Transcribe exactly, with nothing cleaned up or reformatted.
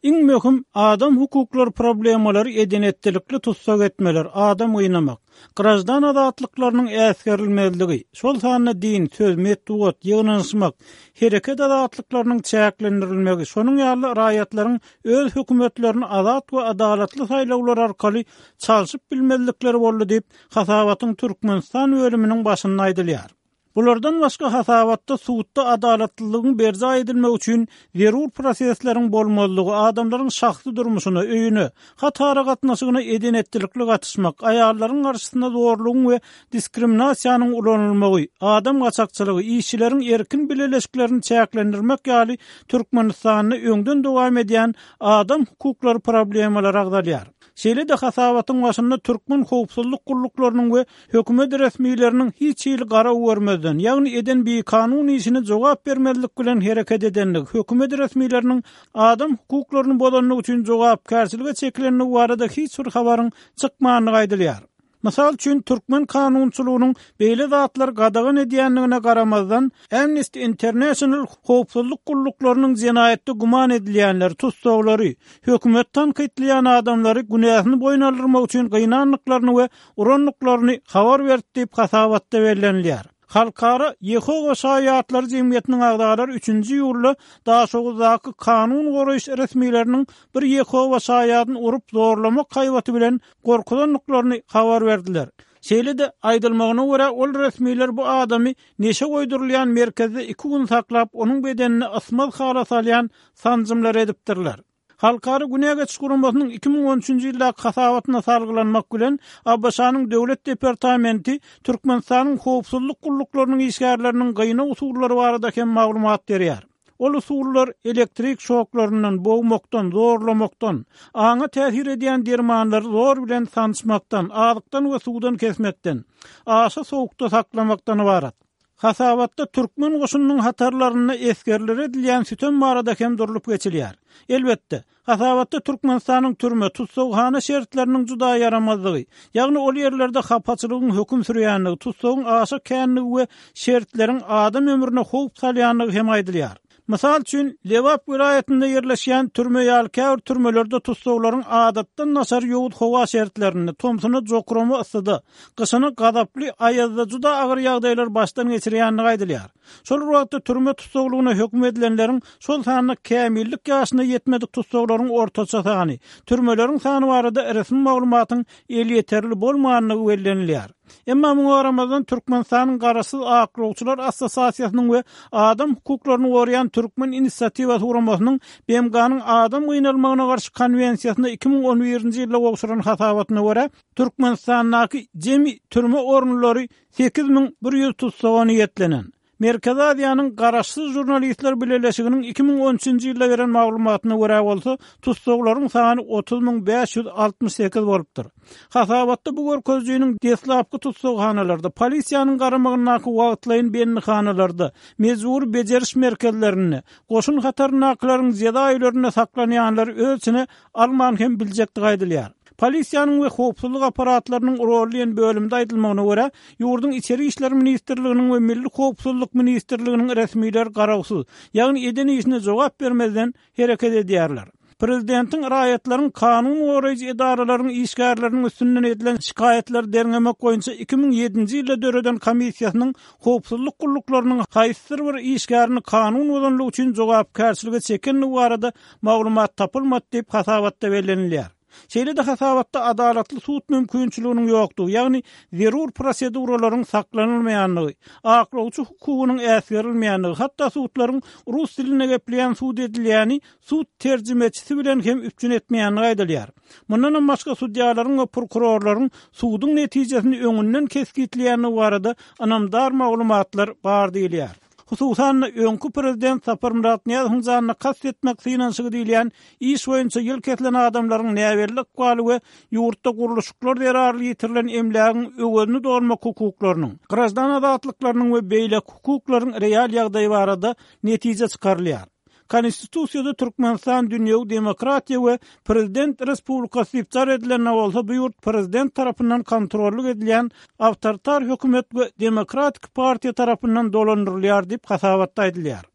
Iň möhüm adam hukuklary problemalary eden-etdilikli tussag etmeler, adam gynamak, graždan azatlyklarynyň äsgerilmezligi, şol sanda din, söz, metbugat, ýygnanyşmak, hereket azatlyklarynyň çäklendirilmegi, şonuň ýaly raýatlaryň öz hökümetlerini azat we adalatly saýlawlar arkaly çalşyp bilmezlikleri boldy diýip, hasabatyň Türkmenistan bölüminiň başynda aýdylýar. Bulardan başga hasabatda sudda adalatlylygyň berjaý edilmegi üçin zerur prosesleriň bolmazlygy, adamlaryň şahsy durmuşyna, öýüne, hat aragatnaşygyna eden-etdilikli gatyşmak, aýallaryň garşysynda zorlugyň we diskriminasiýanyň ulanylmagy, adam gaçakçylygy, işçileriň erkin bileleşiklerini çäklendirmek ýaly Türkmenistanda öňden dowam edýän adam hukuklary problemalary agzalýar. Şeýle-de hasabatyň başynda türkmen howpsuzlyk gulluklarynyň we hökümet resmileriniň hiç hili garaw görmezden, ýagny eden bikanun işine jogap bermezlik bilen hereket edenligi, hökümet resmileriniň adam hukuklaryny bozanlygy üçin jogapkärçilige çekilenligi barada hiç bir habaryň çykmandygy aýdylýar. Mysal üçin, türkmen kanunçylygynyň beýle zatlary gadagan edýändigine garamazdan, Amnesty International howpsuzlyk gulluklarynyň jenaýatda güman edilýänleri, tussaglary, hökümet tankytlaýan adamlary günäsini boýun aldyrmak üçin gynandyklaryny we urandyklaryny habar berdi diýip hasabatda bellenilýär. Halkara Ýehowa şaýatlary jemgyýetiniň agzalary üçünji iýulda Daşoguzdaky kanun goraýyş resmileriniň bir Ýehowa şaýadyny urup zorlamak haýbaty bilen gorkuzandyklaryny habar berdiler. Şeýle-de aýdylmagyna görä, ol resmiler bu adamy neşe goýdurylýan merkezde iki gün saklap, onuň bedenine ysmaz hala salýan sanjymlar edipdirler. Halkara Günä geçiş guramasynyň iki müň on üçünji ýyldaky hasabatyna salgylanmak bilen, A B Ş-nyň Döwlet departamenti Türkmenistanyň howpsuzlyk gulluklarynyň işgärleriniň gynaw usullary barada hem maglumat berýär. Ol usullar elektrik şoklaryndan, bogmakdan, zorlamakdan, aňa täsir edýän dermanlary zor bilen sançmakdan, azykdan we suwdan kesmekden, aşa sowukda saklamakdan ybarat. Hasabatda türkmen goşunynyň hatarlarynda esgerlere edilýän sütem barada hem durlup geçilýär. Elbetde, hasabatda Türkmenistanyň türme, tussaghana şertleriniň juda ýaramazlygy, ýagny ol ýerlerde hapaçylygyň höküm sürýändigi, tussagyň aşa känligi we şertleriň adam ömrüne howp salýandygy hem aýdylýar. Mysal üçin, Lebap welaýatynda ýerleşýän türme ýaly käbir türmelerde tussaglaryň adatdan daşary ýowuz howa şertlerinde, tomsuna jokrama yssyda, gyşyna gazaply aýazda juda agyr ýagdaýlar başdan geçirýändigi aýdylýar. Şol bir wagtda türme tussaglygyna höküm edilenleriň, şol sanda kämillik ýaşyna ýetmedik tussaglaryň ortaça sany, türmeleriň sany barada resmi maglumatyň elýeterli bolmandygy bellenilýär. Emma muňa garamazdan Türkmenistanyň Garaşsyz aklawçylar assosiasiýasynyň we adam hukuklaryny goraýan Türkmen inisiatiwasy guramasynyň B M G-nyň adam gynalmagyna garşy konwensiýasyna iki müň on birinji ýylda gowşuran hasabatyna görä, Türkmenistandaky jemi türme orunlary sekiz müň bir ýüz tussaga niýetlenen. Merkezi Aziýanyň Garaşsyz žurnalistler bileleşiginiň iki müň on üçünji ýylda beren maglumatyna görä bolsa, tussaglaryň sany otuz müň bäş ýüz altmyş sekiz bolupdyr. Hasabatda bu görkezijiniň deslapky tussaghanalarda, polisiýanyň garamagyndaky wagtlaýyn bendihanalarda, mejbur bejeriş merkezlerinde, goşun hataryndakylaryň jeza öýlerinde saklanýanlary öz içine alman hem biljekdigi aýdylýar. Polisiýanyň we howpsuzlyk aparatlarynyň roly diýen bölümde aýdylmagyna görä, ýurduň Içeri işler ministrliginiň we Milli howpsuzlyk ministrliginiň resmileri garawsyz, ýagny eden işine jogap bermezden hereket edýärler. Prezidentiň raýatlaryň kanun goraýjy edaralaryň işgärleriniň üstünden edilen şikaýatlary derňemek boýunça iki müň ýedinji ýylda döreden komissiýasynyň howpsuzlyk gulluklarynyň haýsydyr bir işgärini kanun bozanlygy üçin jogapkärçilige çekendigi barada maglumat tapylmady diýip hasabatda bellenilýär. Şeýle-de hasabatda adalatly sud mümkinçiliginiň ýokdugy, ýagny zerur proseduralaryň saklanylmaýandygy, aklawçy hukugynyň äsgerilmeýändigi, hatda sudlaryň rus dilinde gepleýän sud edilýäni sud terjimeçisi bilen hem üpjün etmeýändigi aýdylýar. Mundan hem başga sudýalaryň we prokurorlaryň suduň netijesini öňünden kesgitleýändigi barada ynamdar maglumatlar bar diýilýär. Hususan-da öňki prezident Saparmyrat Nyýazowyň janyna kast etmek synanyşygy diýilýän iş boýunça ýyl kesilen adamlaryň näbelli ykbaly we ýurtda gurluşyklar zerarly ýitirilen emlägiň öwezini dolmak hukuklarynyň, graždan azatlyklarynyň we beýleki hukuklaryň real ýagdaýy barada netije çykarylýar. Konstitusiýada Türkmenistan dünýewi demokratiýa we prezident respublikasy diýip jar edilende bolsa, bu ýurt prezident tarapyndan kontrollyk edilýän awtoritar hökümet we demokratik partiýa tarapyndan dolandyrylýar diýip hasabatda aýdylýar.